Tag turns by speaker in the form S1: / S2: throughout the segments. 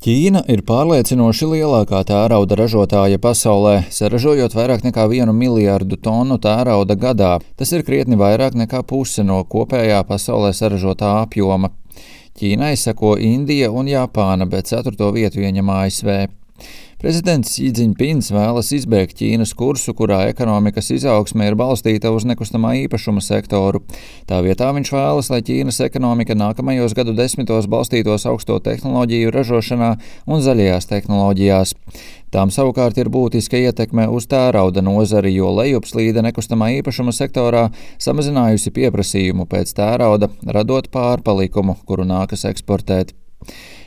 S1: Ķīna ir pārliecinoši lielākā tērauda ražotāja pasaulē, saražojot vairāk nekā 1 miljardu tonu tērauda gadā. Tas ir krietni vairāk nekā puse no kopējā pasaulē saražotā apjoma. Ķīnai seko Indija un Japāna, bet 4. vietu ieņem ASV. Prezidents Xi Jinpings vēlas izbēgt Ķīnas kursu, kurā ekonomikas izaugsme ir balstīta uz nekustamā īpašuma sektoru. Tā vietā viņš vēlas, lai Ķīnas ekonomika nākamajos gadu desmitos balstītos augsto tehnoloģiju ražošanā un zaļajās tehnoloģijās. Tām savukārt ir būtiska ietekme uz tērauda nozari, jo lejupslīde nekustamā īpašuma sektorā samazinājusi pieprasījumu pēc tērauda, radot pārpalikumu, kuru nākas eksportēt.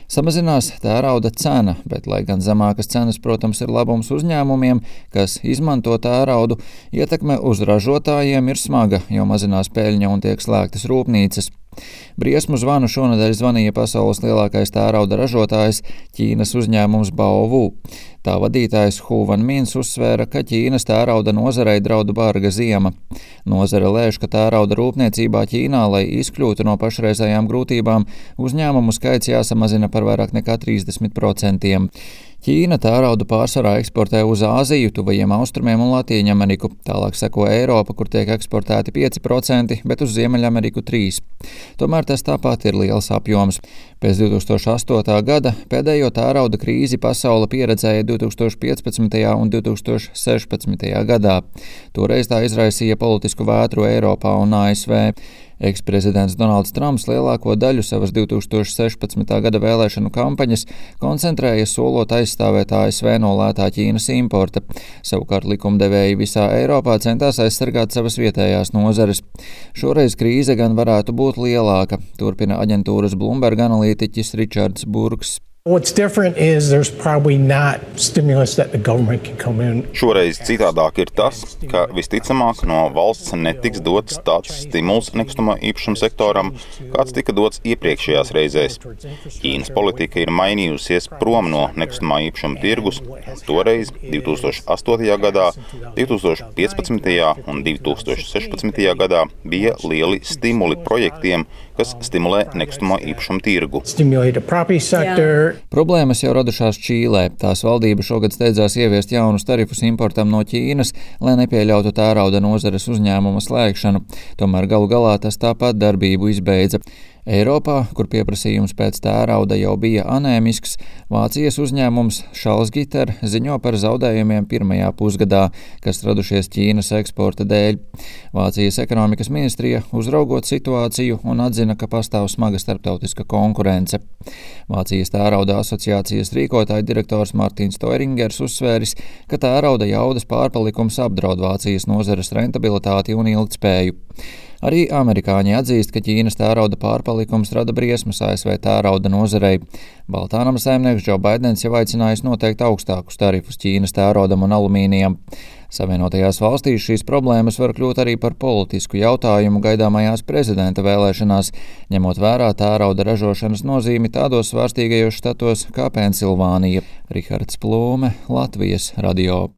S1: Samazinās tērauda cena, bet, lai gan zemākas cenas, protams, ir labums uzņēmumiem, kas izmanto tēraudu, ietekme uz ražotājiem ir smaga, jo mazinās peļņa un tiek slēgtas rūpnīcas. Briesmu zvanu šonedēļ zvanīja pasaules lielākais tērauda ražotājs Ķīnas uzņēmums Baowu. Tā vadītājs Hu Vanmins uzsvēra, ka Ķīnas tērauda nozarei draud barga ziema. Nozare lēš, ka tērauda rūpniecībā Ķīnā, lai izkļūtu no pašreizējām grūtībām, uzņēmumu skaits jāsamazina par vairāk nekā 30%. Ķīna tēraudu pārsvarā eksportē uz Āziju, Tuvajiem Austrumiem un Latīņameriku. Tālāk seko Eiropa, kur tiek eksportēti 5%, bet uz Ziemeļameriku 3%. Tomēr tas tāpat ir liels apjoms. Pēc 2008. gada pēdējo tērauda krīzi pasaule pieredzēja 2015. un 2016. gadā. Toreiz tā izraisīja politisku vētru Eiropā un ASV. Eksprezidents Donalds Trumps lielāko daļu savas 2016. gada vēlēšanu kampaņas koncentrēja solot aizstāvēt ASV no lētā Ķīnas importa. Savukārt likumdevēji visā Eiropā centās aizsargāt savas vietējās nozares. Šoreiz krīze gan varētu būt lielāka, turpina aģentūras Bloomberg analītiķis Ričards Burks.
S2: What's different is there's probably not stimulus that the government can come in.
S3: Šoreiz citādāk ir tas, ka visticamāk no valsts netiks dots tāds stimuls nekustamā īpašuma sektoram, kāds tika dots iepriekšējās reizēs. Ķīnas politika ir mainījusies prom no nekustamā īpašuma tirgus. Toreiz 2008. gadā, 2015. un 2016. gadā bija lieli stimuli projektiem, kas stimulē nekustamo īpašumu tirgu.
S1: Problēmas jau radušās Čīlē. Tās valdība šogad steidzās ieviest jaunus tarifus importam no Ķīnas, lai nepieļautu tērauda nozares uzņēmuma slēgšanu. Tomēr galu galā tas tāpat darbību izbeidza. Eiropā, kur pieprasījums pēc tērauda jau bija anēmisks, Vācijas uzņēmums Salzgitter ziņo par zaudējumiem pirmajā pusgadā, kas radušies Ķīnas eksporta dēļ. Vācijas ekonomikas ministrija uzraugot situāciju un atzina, ka pastāv smaga starptautiska konkurence. Vācijas tērauda asociācijas rīkotāja direktors Martins Toiringers uzsvēris, ka tērauda jaudas pārpalikums apdraud Vācijas nozares rentabilitāti un ilgtspēju. Arī amerikāņi atzīst, ka Ķīnas tērauda pārpalikums rada briesmas ASV tērauda nozarei. Baltānama saimnieks Džo Baidens jau aicinājis noteikt augstākus tarifus Ķīnas tēraudam un alumīnijam. Savienotajās valstīs šīs problēmas var kļūt arī par politisku jautājumu gaidāmajās prezidenta vēlēšanās, ņemot vērā tērauda ražošanas nozīmi tādos svārstīgajos štatos kā Pensilvānija. Rihards Plūme, Latvijas radio.